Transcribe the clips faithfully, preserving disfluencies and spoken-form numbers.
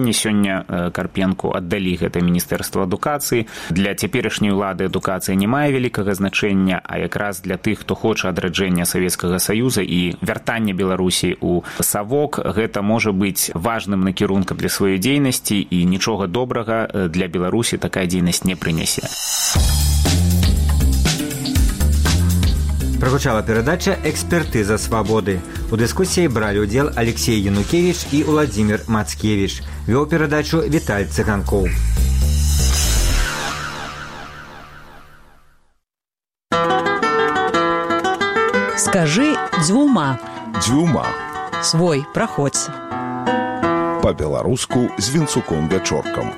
Сёння Карпенку аддалі гэта міністэрства адукацыі. Для цяперашняй улады адукацыя не мае вялікага значэння, а якраз для тых, хто хоча адраджэння Савецкага Саюза і вяртання Беларусі ў савок, гэта можа быць важным накірункам для сваёй дзейнасці, і нічога добрага для Беларусі такая дзейнасць не прынясе. Прагучала перадача «Экспертыза свабоды». У дыскусіі бралі ўдзел Алексей Янукевіч і Уладзімір Мацкевіч. Вёў перадачу Віталь Цыганкоў. Скажи дзвюма. Дзвюма. Свой, праходзь. Па-беларуску з Вінцуком-Вячоркам.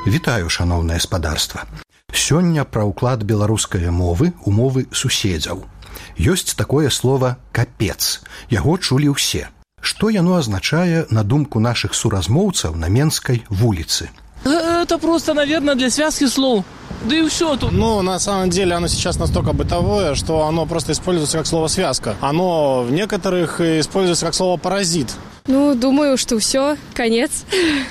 Вітаю, шаноўнае спадарства. Сёння пра ўклад беларускай мовы ў мовы суседзяў. Ёсць такое слово «капец». Яго чулі ўсе. Што яно азначае, на думку нашых суразмоўцаў, на Менскай вуліцы? Это просто, наверное, для связки слов. Да и все тут. Ну, на самом деле, оно сейчас настолько бытовое, что оно просто используется как слово «связка». Оно в некоторых используется как слово «паразит». Ну, думаю, что все, конец.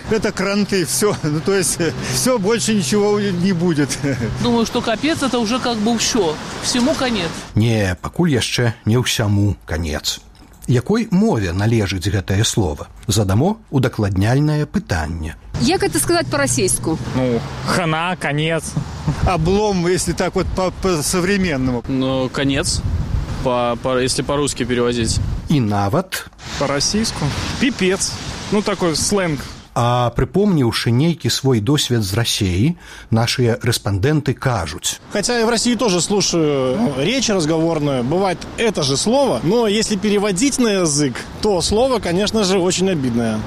Это кранты, все. Ну, то есть, все, больше ничего не будет. Думаю, что капец, это уже как бы все. Всему конец. Не, пакуль яшчэ не ўсяму конец. Якой мове належыць гэтае слово? Задамо удакладняльнае пытанне. Як это сказать по-российску? Ну, хана, конец. Облом, если так вот по-современному. Ну, конец, по, по, если по-русски переводить. И нават? По-российску. Пипец. Ну, такой сленг. А припомніўшы нейкі свой досвед з Россией, наши респонденты кажуць. Хотя я в России тоже слушаю речь разговорную, бывает это же слово, но если переводить на язык, то слово, конечно же, очень обидное.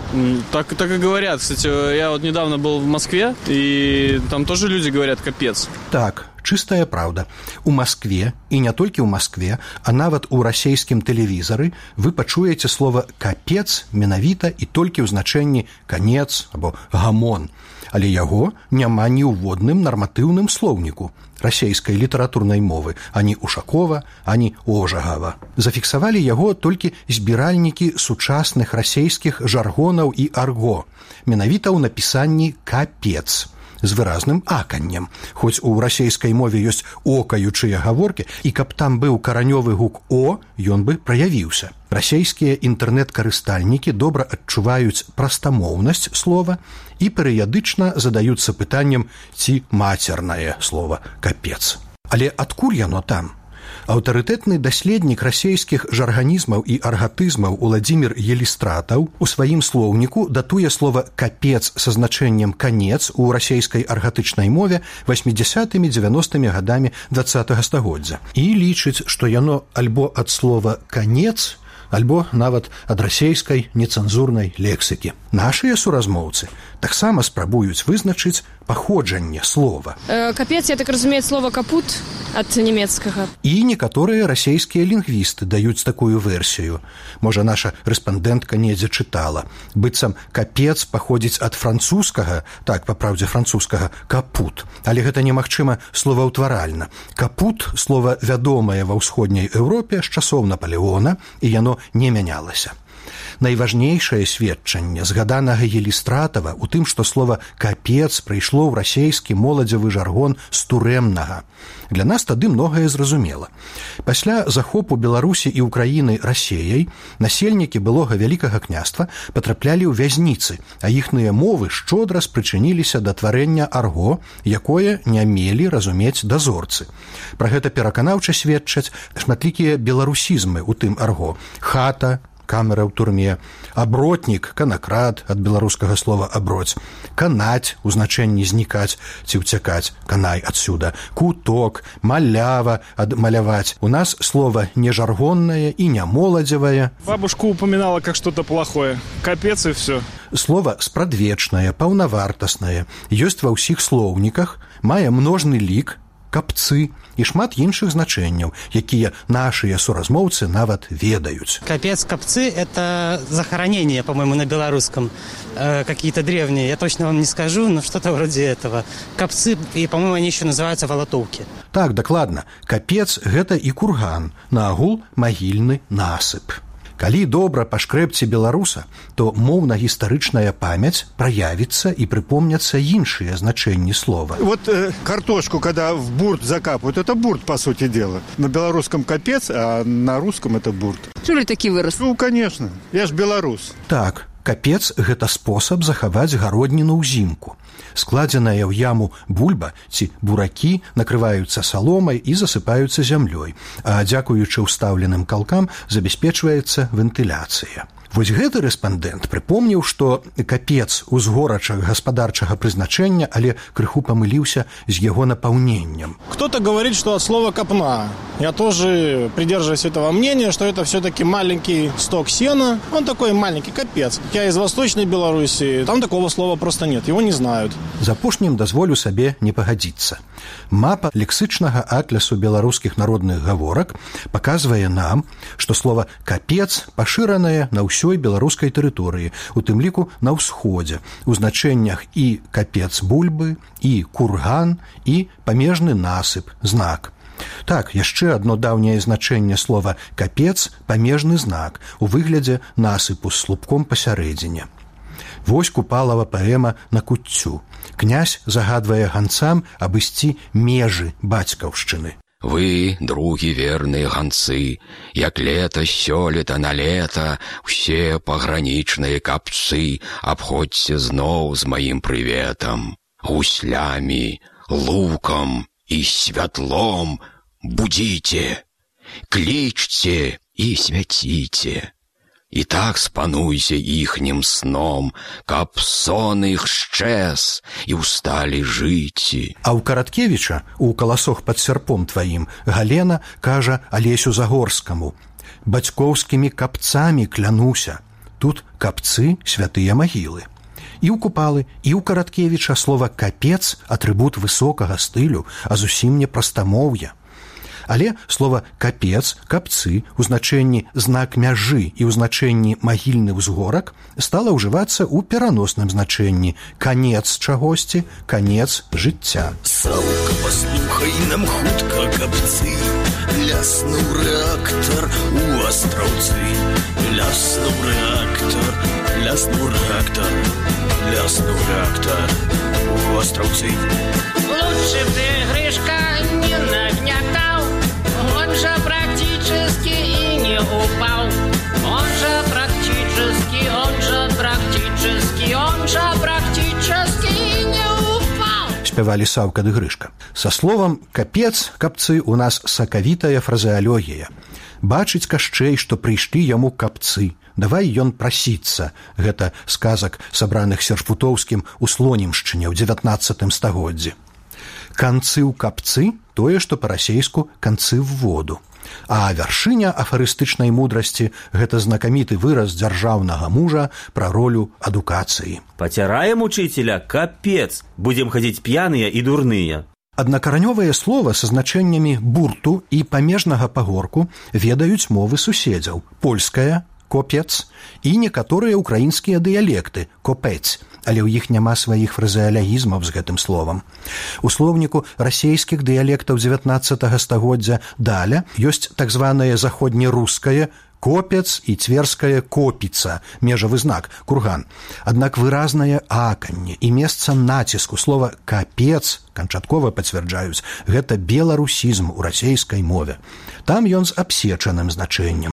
Так, так и говорят. Кстати, я вот недавно был в Москве, и там тоже люди говорят «капец». Так, чистая правда. У Москве, и не толькі ў Москве, а нават у расейскім тэлевізары вы пачуеце слово «капец» менавіта і толькі ў значэнні «канец» або «гамон». Але яго няма ні ў водным нарматыўным слоўніку расейскай літаратурнай мовы, ані Ушакова, ані Ожагава. Зафіксавалі яго толькі збіральнікі сучасных расейскіх жаргонаў і арго, менавіта ў напісанні «капец» з выразным аканнем. Хоць у расейскай мове ёсць окаючыя гаворкі, і каб там быў каранёвы гук «о», ён бы праявіўся. Расейскія інтэрнэт-карыстальнікі добра адчуваюць прастамоўнасць слова і перыядычна задаюцца пытаннем, ці мацернае слова «капец». Але адкуль яно там? Аўтарытэтны даследнік расейскіх жарганізмаў і аргатызмаў Уладзімір Елістратаў у сваім слоўніку датуе слова «капец» са значэннем «канец» у расейскай аргатычнай мове васьмідзясятымі-дзевяностымі гадамі дваццатага стагоддзя і лічыць, што яно альбо ад слова «канец», альбо нават ад расейскай нецэнзурнай лексікі. Нашыя суразмоўцы таксама спрабуюць вызначыць паходжанне слова. Э, капец, я так разумею, слово «капут» ад нямецкага. І некаторыя расейскія лінгвісты даюць такую версію. Можа, наша рэспандэнтка недзе чытала. Быццам «капец» паходзіць ад французскага, так, па праўдзе французскага, «капут». Але гэта немагчыма словаўтваральна. «Капут» – слова вядомае ва ўсходняй Еўропе з часоў Напалеона, і яно не мянялася. Найважнейшае сведчанне згаданага Елістратава ў тым, што слова «капец» прыйшло ў расейскі моладзевы жаргон з турэмнага. Для нас тады многае зразумела. Пасля захопу Беларусі і Украіны Расеяй насельнікі былога Вялікага княства патраплялі ў вязніцы, а іхныя мовы шчодра спрычыніліся да тварэння арго, якое не мелі разумець дазорцы. Пра гэта пераканаўча сведчаць шматлікія беларусізмы ў тым арго. Хата, камера ў турме, абротнік, канакрад, ад беларускага слова «аброць», канаць, у значэнні знікаць ці ўцякаць, канай адсюда, куток, малява, адмаляваць. У нас слово не жаргоннае і не моладзевае. Бабушка упоминала как что-то плохое. Капец и все. Слово спрадвечнае, паўнавартаснае, ёсць ва ўсіх слоўніках, мае множны лік, капцы і шмат іншых значэнняў, якія нашыя суразмоўцы нават ведаюць. Капец, капцы – это захоронение, по-моему, на белорусском. Э, какие-то древние, я точно вам не скажу, но что-то вроде этого. Капцы, и, по-моему, они еще называются волотовки. Так, дакладна. Капец – гэта і курган, наагул магільны насып. Калі добра пашкрэбце беларуса, то моўна-гістарычная памяць праявіцца і прыпомняцца іншыя значэнні слова. Вот э, картошку, когда в бурт закапывают, это бурт, по сути дела. На белорусском капец, а на русском это бурт. Чули такі выраз? Ну, конечно. Я ж белорус. Так, капец – гэта спосаб захаваць гародніну ўзімку. Складзеная ў яму бульба ці буракі накрываюцца саломай і засыпаюцца зямлёй, а дзякуючы ўстаўленым калкам забяспечваецца вентыляцыя. Вось гэты рэспандэнт прыпомніў, што капец узгорача гаспадарчага прызначэння, але крыху памыліўся з яго напаўненнем. Кто-то говорит, что от слова «копна». Я тоже придерживаюсь этого мнения, что это все-таки маленький сток сена. Он такой маленький, капец. Я из Восточной Беларуси, там такого слова просто нет, его не знают. З апошнім дазволю сабе не пагадзіцца. Мапа лексычнага атлясу беларускіх народных гаворак паказвае нам, што слова «капец» пашыранае на ўсёй беларускай тэрыторыі, у тым ліку на ўсходзе, у значэннях і капец бульбы, і курган, і памежны насып, знак. Так, яшчэ адно даўняе значэнне слова «капец» – памежны знак у выглядзе насыпу з слупком пасярэдзіне. Вось Купалава паэма на куццю. Князь загадвае ганцам абысці межы бацькаўшчыны. Вы, другі верныя ганцы, як лета сёлета на лета, усе пагранічныя капцы абходзьце зноў з маім прыветам. Гуслямі, лукам і святлом будзіце, клічце і свяціце. І так спануйся іхнім сном, каб сон іх шчэс і ўсталі жыці. А ў Караткевіча, у «Каласох пад сярпом тваім», Галена кажа Алесю Загорскаму: «Бацькоўскімі капцамі клянуся». Тут капцы – святыя магілы. І ў Купалы, і ў Караткевіча слова «капец» – атрыбут высокага стылю, а зусім не прастамоўя. Але слова «капец», «капцы» у значэнні «знак мяжы» і ў значэнні «магільны ўзгорак» стала ўжывацца ў пераносным значэнні «канец чагосьці», «канец жыцця». Саўка, паслухай нам хутка, капцы, ляснуў рэактар у астраўцы. Ляснуў рэактар, ляснуў рэактар, ляснуў рэактар у астраўцы. Лучше б ты, Гришка, не нагнятал. Он же практически и не упал. Он же практически, он же практически, он же практически и не упал. Спявалі Саўка ды Грышка. Са словам «капец», капцы у нас сакавітая фразеалогія. Бачыць Кашчэй, што прыйшлі яму капцы. Давай ён прасіцца. Гэта сказак, сабраных Сершпутоўскім у Слонімшчыне ў дзевятнаццатым стагоддзі. Канцы ў капцы – тое, што па-расейску канцы в воду. А вяршыня афарыстычнай мудрасці – гэта знакаміты выраз дзяржаўнага мужа пра ролю адукацыі. Пацяраем учителя, капец, будзем хадзіць п'яныя і дурныя. Аднакаранёвае слова са значэннямі бурту і памежнага пагорку ведаюць мовы суседзяў – польская, копец, і некаторыя ўкраінскія дыялекты – копец, але ў іх няма сваіх фразеалягізмаў з гэтым словам. У слоўніку расейскіх дыялектаў дзевятнаццатага стагоддзя даля ёсць так званае заходнерускае копец і цверская копіца, межавы знак, курган. Аднак выразнае аканне і месца націску слова «капец» канчаткова пацвярджаюць, гэта беларусізм у расейскай мове. Там ён з абсечаным значэннем.